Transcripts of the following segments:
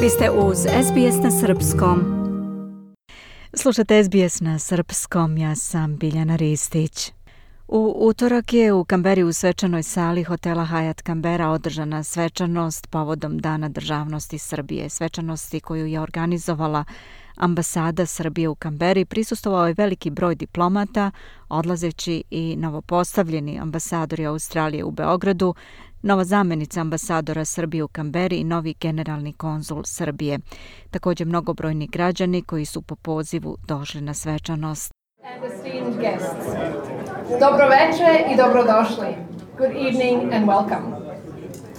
Vi ste uz SBS na srpskom. Slušate SBS na srpskom, ja sam Biljana Ristić. U utorak je u Kamberi u svečanoj sali hotela Hyatt Kambera održana svečanost povodom Dana državnosti Srbije. Svečanosti koju je organizovala ambasada Srbije u Kamberi prisustvovao je veliki broj diplomata, odlazeći i novopostavljeni ambasadori Australije u Beogradu, nova zamjenica ambasadora Srbije u Kamberi i novi generalni konzul Srbije. Također mnogobrojni građani koji su po pozivu došli na svečanost. Dobroveče i dobrodošli. Good evening and welcome.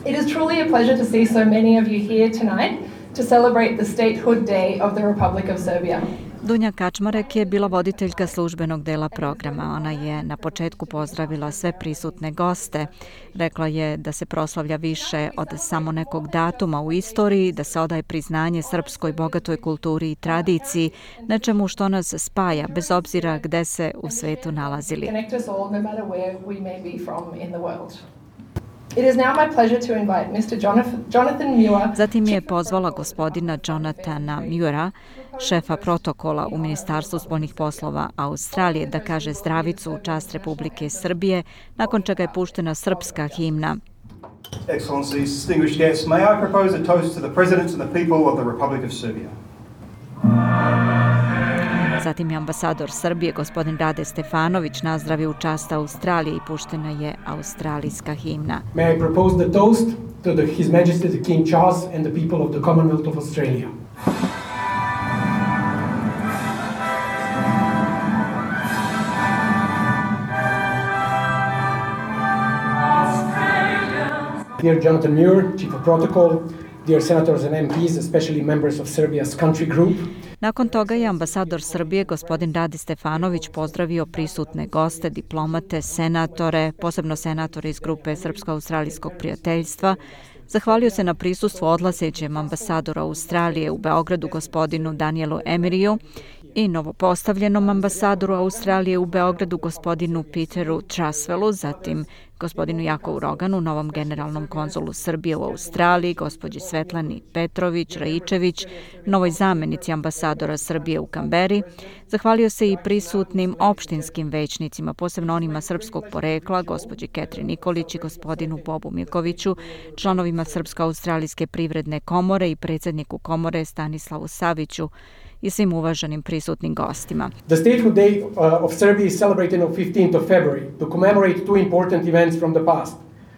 It is truly a pleasure to see so many of you here tonight to celebrate the Statehood Day of the Republic of Serbia. Dunja Kačmarek je bila voditeljka službenog dela programa. Ona je na početku pozdravila sve prisutne goste. Rekla je da se proslavlja više od samo nekog datuma u istoriji, da se odaje priznanje srpskoj bogatoj kulturi i tradiciji, nečemu što nas spaja, bez obzira gde se u svetu nalazili. It is now my pleasure to invite Mr. Jonathan Muir. Zatim je pozvala gospodina Jonathana Muira, šefa protokola u Ministarstvu spoljnih poslova Australije, da kaže zdravicu u čast Republike Srbije, nakon čega je puštena srpska himna. Excellencies, distinguished guests, may I propose a toast to the presidents and the people of the Republic of Serbia. Zatim je ambasador Srbije, gospodin Rade Stefanović, nazdravio u čast Australije i puštena je australijska himna. May I propose the toast to His Majesty the King Charles and the people of the Commonwealth of Australia. Dear Jonathan Muir, Chief of Protocol, dear senators and MPs, especially members of Serbia's country group. Nakon toga je ambasador Srbije, gospodin Rade Stefanović, pozdravio prisutne goste, diplomate, senatore, posebno senatore iz grupe Srpsko-australijskog prijateljstva. Zahvalio se na prisustvu odlazećem ambasadoru Australije u Beogradu, gospodinu Danielu Emeriju, i novopostavljenom ambasadoru Australije u Beogradu, gospodinu Peteru Trasvelu, zatim gospodinu Jakovu Roganu, novom generalnom konzulu Srbije u Australiji, gospođi Svetlani Petrović-Raičević, novoj zamjenici ambasadora Srbije u Kamberi. Zahvalio se i prisutnim opštinskim većnicima, posebno onima srpskog porekla, gospođi Ketri Nikolić i gospodinu Bobu Mirkoviću, članovima Srpsko-australijske privredne komore i predsjedniku komore Stanislavu Saviću i svim uvaženim prisutnim gostima. The Statehood Day of Serbia is celebrated on 15th of February to commemorate two important events from the past.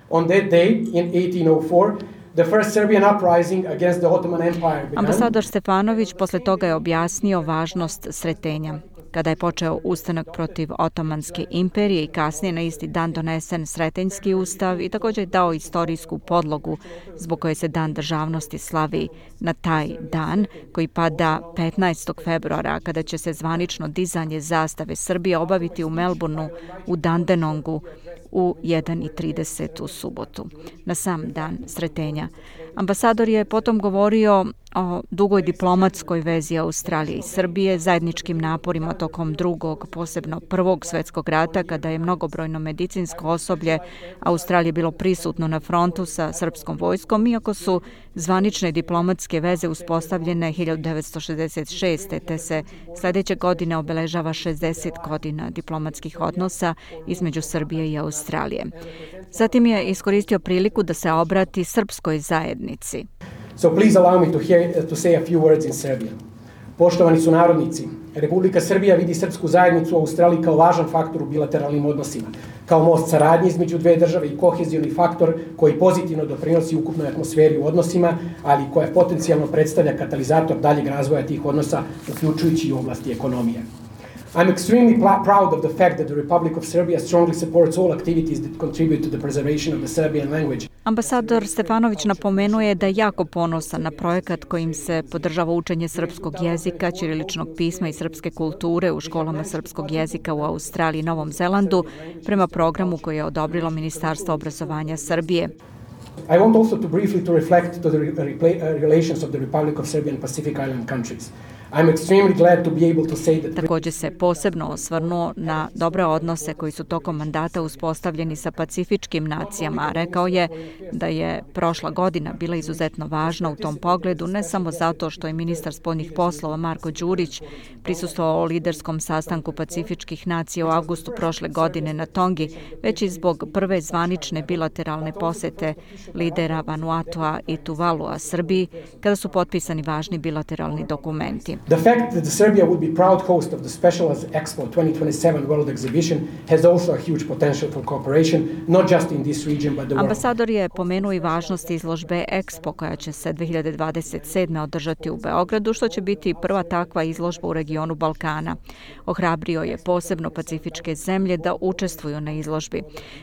On that day, in 1804, the first Serbian uprising against the Ottoman Empire began. Ambasador Stefanović posle toga je objasnio važnost sretenja. Kada je počeo ustanak protiv Otomanske imperije i kasnije na isti dan donesen Sretenjski ustav i također je dao istorijsku podlogu zbog koje se Dan državnosti slavi na taj dan koji pada 15. februara kada će se zvanično dizanje zastave Srbije obaviti u Melbourneu u Dandenongu u 1:30 u subotu, na sam dan Sretenja. Ambasador je potom govorio o dugoj diplomatskoj vezi Australije i Srbije, zajedničkim naporima tokom drugog, posebno prvog svjetskog rata, kada je mnogobrojno medicinsko osoblje Australije bilo prisutno na frontu sa srpskom vojskom, iako su zvanične diplomatske veze uspostavljene 1966. te se sljedeće godine obeležava 60 godina diplomatskih odnosa između Srbije i Australije. Zatim je iskoristio priliku da se obrati srpskoj zajednici. So please allow me to say a few words in Serbian. Poštovani sunarodnici, Republika Srbija vidi srpsku zajednicu u Australiji kao važan faktor u bilateralnim odnosima, kao most saradnje između dve države i kohezioni faktor koji pozitivno doprinosi ukupnoj atmosferi u odnosima, ali koja potencijalno predstavlja katalizator daljeg razvoja tih odnosa, uključujući i u oblasti ekonomije. I'm extremely proud of the fact that the Republic of Serbia strongly supports all activities that contribute to the preservation of the Serbian language. Ambasador Stefanović napomenuje da je jako ponosan na projekat kojim se podržava učenje srpskog jezika, ćiriličnog pisma i srpske kulture u školama srpskog jezika u Australiji i Novom Zelandu prema programu koji je odobrilo Ministarstvo obrazovanja Srbije. I want also to briefly to reflect to the relations of the Republic of Serbia and Pacific Island countries. I'm extremely glad to be able to say that... Također se posebno osvrnuo na dobre odnose koji su tokom mandata uspostavljeni sa pacifičkim nacijama. Rekao je da je prošla godina bila izuzetno važna u tom pogledu, ne samo zato što je ministar spoljnih poslova Marko Đurić prisustvovao liderskom sastanku pacifičkih nacija u avgustu prošle godine na Tongi, već i zbog prve zvanične bilateralne posete lidera Vanuatua i Tuvalua Srbiji, kada su potpisani važni bilateralni dokumenti. The fact that Serbia would be proud host of the Specialized Expo 2027 World Exhibition has also a huge potential for cooperation, not just in this region but the world. Ambasador je pomenuo i važnost izložbe Expo koja će se 2027. održati u Beogradu, što će biti prva takva izložba u regionu Balkana. Ohrabrio je posebno pacifičke zemlje da učestvuju na izložbi.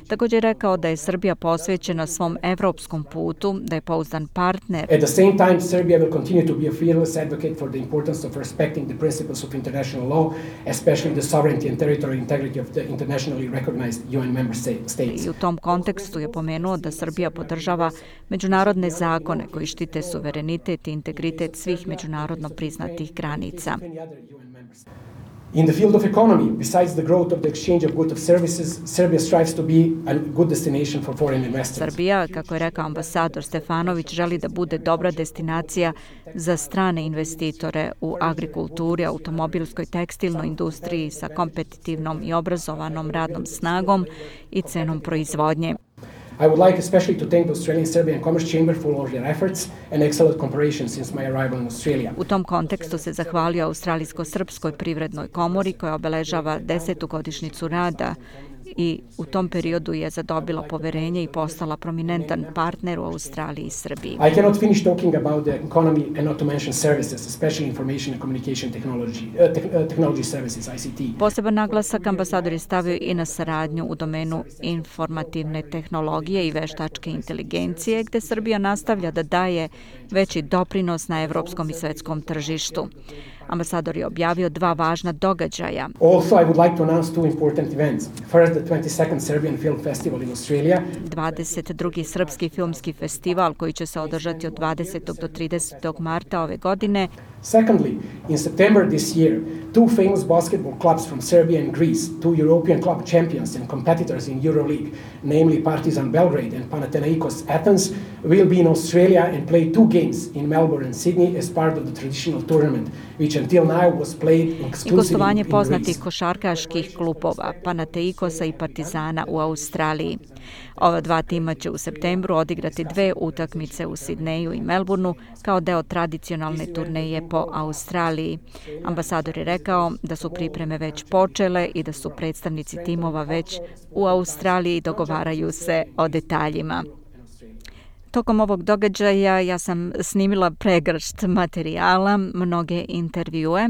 Također je rekao da je Srbija posvećena svom evropskom putu, da je pouzdan partner. At the same time, Serbia will continue to be a fearless advocate for the importance of respecting the principles of international law, especially the sovereignty and territorial integrity of the internationally recognized UN member states. I u tom kontekstu je pomenuo da Srbija podržava međunarodne zakone koji štite suverenitet i integritet svih međunarodno priznatih granica. In the field of economy, besides the growth of the exchange of goods and services, Serbia strives to be a good destination for foreign investors. Srbija, kako je rekao ambasador Stefanović, želi da bude dobra destinacija za strane investitore u agrikulturi, automobilskoj, tekstilnoj industriji sa kompetitivnom i obrazovanom radnom snagom i cenom proizvodnje. I would like especially to thank the Australian-Serbian Commerce Chamber for all their efforts and excellent cooperation since my arrival in Australia. U tom kontekstu se zahvalio Australijsko-srpskoj privrednoj komori koja obeležava 10. godišnjicu rada i u tom periodu je zadobila poverenje i postala prominentan partner u Australiji i Srbiji. I cannot finish talking about the economy and not to mention services, especially information and communication technology services, ICT. Poseban naglasak ambasador je stavio i na saradnju u domenu informativne tehnologije i veštačke inteligencije, gde Srbija nastavlja da daje veći doprinos na evropskom i svetskom tržištu. Ambasador je objavio dva važna događaja. Also, I would like to announce two important events. First, the 22nd Serbian Film Festival in Australia. 22. Srpski filmski festival koji će se održati od 20. do 30. marta ove godine. Secondly, in September this year, two famous basketball clubs from Serbia and Greece, two European club champions and competitors in EuroLeague, namely Partizan Belgrade and Panathinaikos Athens, will be in Australia and play two games in Melbourne and Sydney as part of the traditional tournament, which until now was played exclusively I gostovanje in poznatih Greece. košarkaških klubova Panathinaikosa i Partizana u Australiji. Ova dva tima će u septembru odigrati dve utakmice u Sidneju i Melbourneu kao deo tradicionalne turneje po Australiji. Ambasador je rekao da su pripreme već počele i da su predstavnici timova već u Australiji i dogovaraju se o detaljima. Tokom ovog događaja ja sam snimila pregršt materijala, mnoge intervjue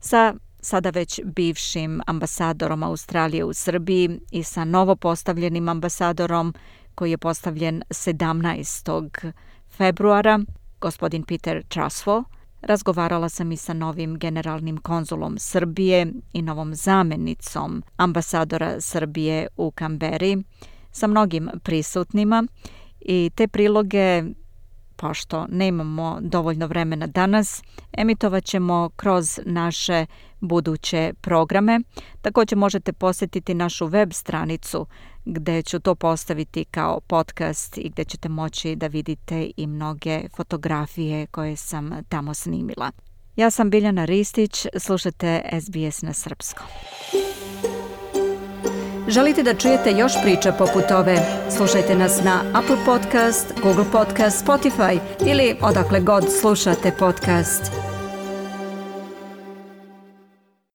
sa sada već bivšim ambasadorom Australije u Srbiji i sa novopostavljenim ambasadorom koji je postavljen 17. februara, gospodin Peter Truswell. Razgovarala sam i sa novim generalnim konzulom Srbije i novom zamenicom ambasadora Srbije u Kamberi, sa mnogim prisutnima i te priloge, pošto nemamo dovoljno vremena danas, emitovat ćemo kroz naše buduće programe. Također možete posjetiti našu web stranicu gdje ću to postaviti kao podcast i gdje ćete moći da vidite i mnoge fotografije koje sam tamo snimila. Ja sam Biljana Ristić, slušate SBS na srpskom. Želite da čujete još priča poput ove? Slušajte nas na Apple Podcast, Google Podcast, Spotify ili odakle god slušate podcast.